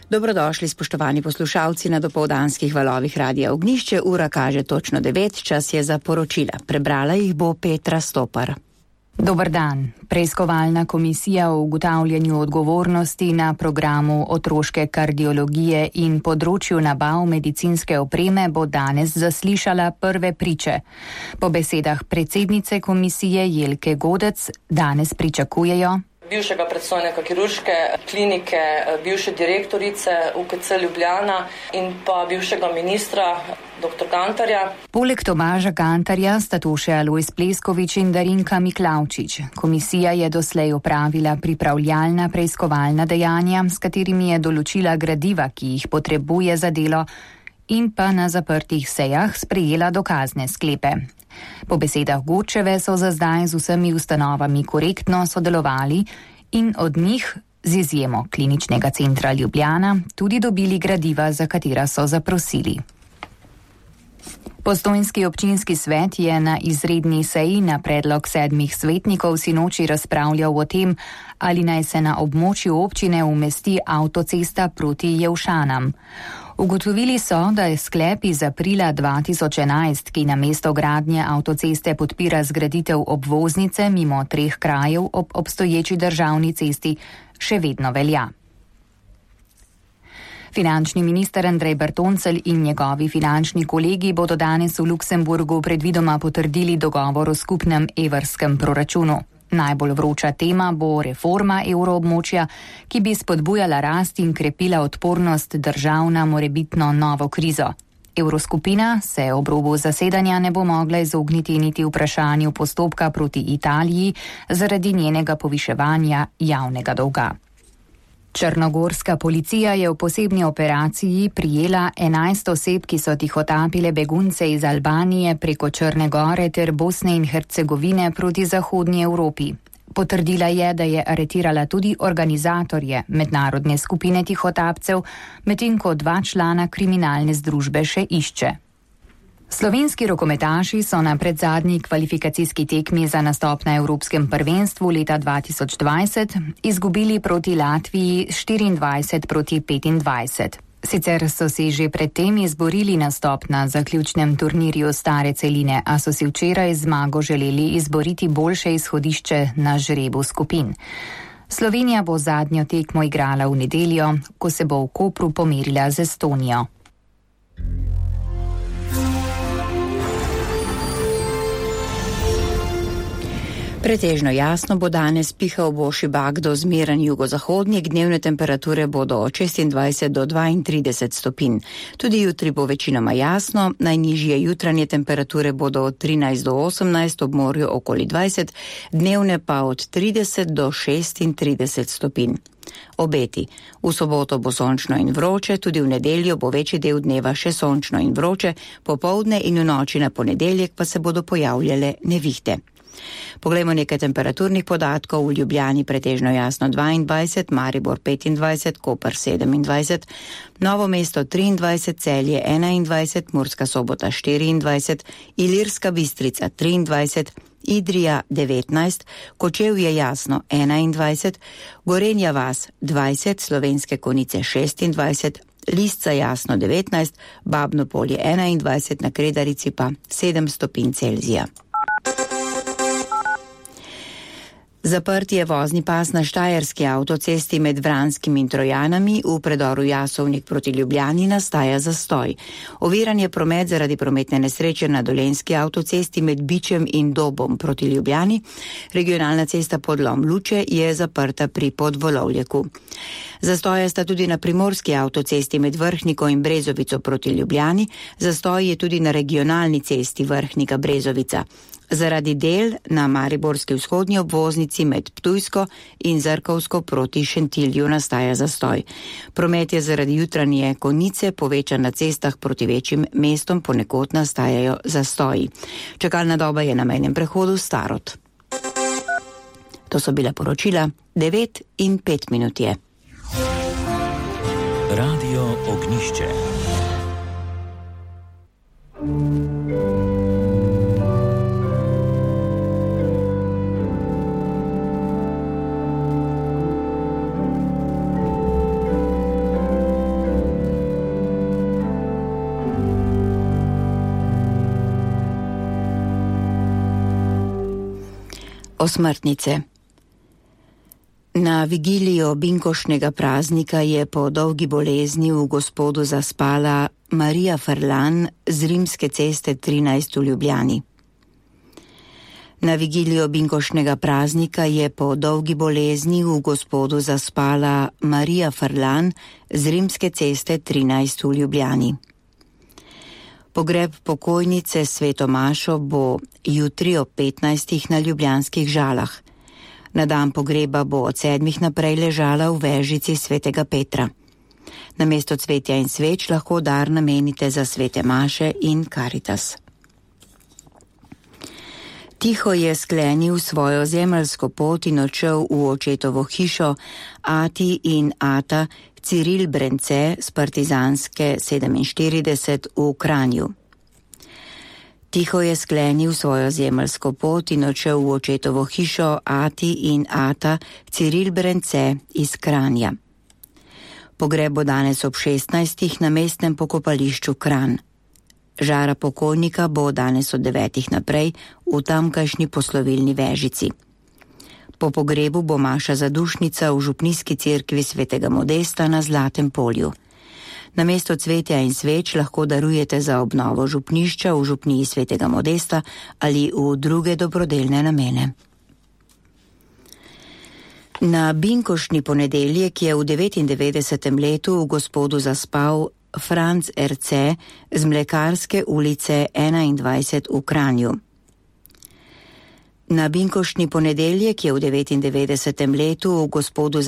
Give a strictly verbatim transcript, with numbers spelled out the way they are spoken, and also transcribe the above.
Dobrodošli, spoštovani poslušalci na dopoldanskih valovih Radia Ognjišče. Ura kaže točno devet, čas je za poročila. Prebrala jih bo Petra Stopar. Dober dan. Preiskovalna komisija o ugotavljanju odgovornosti na programu otroške kardiologije in področju nabav medicinske opreme bo danes zaslišala prve priče. Po besedah predsednice komisije Jelke Godec danes pričakujejo bivšega predstojnika kirurške klinike, bivše direktorice U K C Ljubljana in pa bivšega ministra doktor Gantarja. Poleg Tomaža Gantarja sta to še Alojz Pleskovič in Darinka Miklavčič. Komisija je doslej opravila pripravljalna preiskovalna dejanja, s katerimi je določila gradiva, ki jih potrebuje za delo, in pa na zaprtih sejah sprejela dokazne sklepe. Po besedah Godčeve so za zdaj z vsemi ustanovami korektno sodelovali in od njih, z izjemo Kliničnega centra Ljubljana, tudi dobili gradiva, za katera so zaprosili. Postojnski občinski svet je na izredni seji na predlog sedmih svetnikov sinoči razpravljal o tem, ali naj se na območju občine umesti avtocesta proti Jelšanam. Ugotovili so, da je sklep iz aprila dva tisoč enajst, ki namesto gradnje avtoceste podpira zgraditev obvoznice mimo treh krajev ob obstoječi državni cesti, še vedno velja. Finančni minister Andrej Bertoncelj in njegovi finančni kolegi bodo danes v Luksemburgu predvidoma potrdili dogovor o skupnem evrskem proračunu. Najbolj vroča tema bo reforma evroobmočja, ki bi spodbujala rast in krepila odpornost držav na morebitno novo krizo. Evroskupina se ob robu zasedanja ne bo mogla izogniti niti vprašanju postopka proti Italiji zaradi njenega poviševanja javnega dolga. Črnogorska policija je v posebni operaciji prijela enajst oseb, ki so tihotapile begunce iz Albanije preko Črne gore ter Bosne in Hercegovine proti zahodnji Evropi. Potrdila je, da je aretirala tudi organizatorje mednarodne skupine tihotapcev, medtem ko dva člana kriminalne združbe še išče. Slovenski rokometaši so na predzadnji kvalifikacijski tekmi za nastop na Evropskem prvenstvu leta dva tisoč dvajset izgubili proti Latviji štiriindvajset proti petindvajset. Sicer so si že predtem izborili nastop na zaključnem turnirju stare celine, a so si včeraj zmago želeli izboriti boljše izhodišče na žrebu skupin. Slovenija bo zadnjo tekmo igrala v nedeljo, ko se bo v Kopru pomerila z Estonijo. Pretežno jasno bo danes, pihal bo šibak do zmeren jugozahodnik, dnevne temperature bodo od šestindvajset do dvaintrideset stopinj. Tudi jutri bo večinoma jasno, najnižje jutranje temperature bodo od trinajst do osemnajst, ob morju okoli dvajset, dnevne pa od trideset do šestintrideset stopinj. Obeti. V soboto bo sončno in vroče, tudi v nedeljo bo večji del dneva še sončno in vroče, popoldne in v noči na ponedeljek pa se bodo pojavljale nevihte. Poglejmo nekaj temperaturnih podatkov. V Ljubljani pretežno jasno dvaindvajset, Maribor petindvajset, Koper sedemindvajset, Novo mesto triindvajset, Celje enaindvajset, Murska Sobota štiriindvajset, Ilirska Bistrica triindvajset, Idrija devetnajst, Kočevje jasno enaindvajset, Gorenja vas dvajset, Slovenske Konjice šestindvajset, Lisca jasno devetnajst, Babno Polje enaindvajset, na Kredarici pa sedem stopinj Celzija. Zaprt je vozni pas na štajerski avtocesti med Vranskim in Trojanami, v predoru Jasovnik proti Ljubljani nastaja zastoj. Oviran je promet zaradi prometne nesreče na dolenjski avtocesti med Bičem in Dobom proti Ljubljani. Regionalna cesta Podlom Luče je zaprta pri Podvolovljeku. Zastoje sta tudi na primorski avtocesti med Vrhniko in Brezovico proti Ljubljani, zastoj je tudi na regionalni cesti Vrhnika Brezovica. Zaradi del na mariborski vzhodnji obvoznici med Ptujsko in Zrkovsko proti Šentilju nastaja zastoj. Promet je zaradi jutranje konice povečan na cestah proti večjim mestom, ponekod nastajajo zastoji. Čakalna doba je na mejnem prehodu Starod. To so bila poročila, devet in pet minut je. Radio Ognjišče. Osmrtnice. Na vigilijo binkošnega praznika je po dolgi bolezni v Gospodu zaspala Marija Frlan z Rimske ceste trinajst v Ljubljani. Na vigilijo binkošnega praznika je po dolgi bolezni v Gospodu zaspala Marija Frlan z Rimske ceste trinajst v Ljubljani. Pogreb pokojnice Sveto Mašo bo jutri ob petnajstih na ljubljanskih Žalah. Na dan pogreba bo od sedmih naprej ležala v vežici Svetega Petra. Namesto cvetja in sveč lahko dar namenite za svete maše in Karitas. Tiho je sklenil svojo zemeljsko pot in odšel v očetovo hišo ati in ata Ciril Brence z partizanske sedeminštirideset v Kranju. Tiho je sklenil svojo zemeljsko pot in odšel v očetovo hišo ati in ata Ciril Brence iz Kranja. Pogreb bo danes ob šestnajstih na mestnem pokopališču Kranj. Žara pokojnika bo danes od devetih naprej v tamkajšnji poslovilni vežici. Po pogrebu bo maša zadušnica v župnijski cerkvi Svetega Modesta na Zlatem polju. Namesto cvetja in sveč lahko darujete za obnovo župnišča v župniji Svetega Modesta ali v druge dobrodelne namene. Na binkošni ponedeljek je v devetindevetdesetem letu v Gospodu zaspal Franc Erce z Mlekarske ulice enaindvajset v Kranju. Na binkošni ponedeljek je v devetindevetdesetem letu v Gospodu zaspal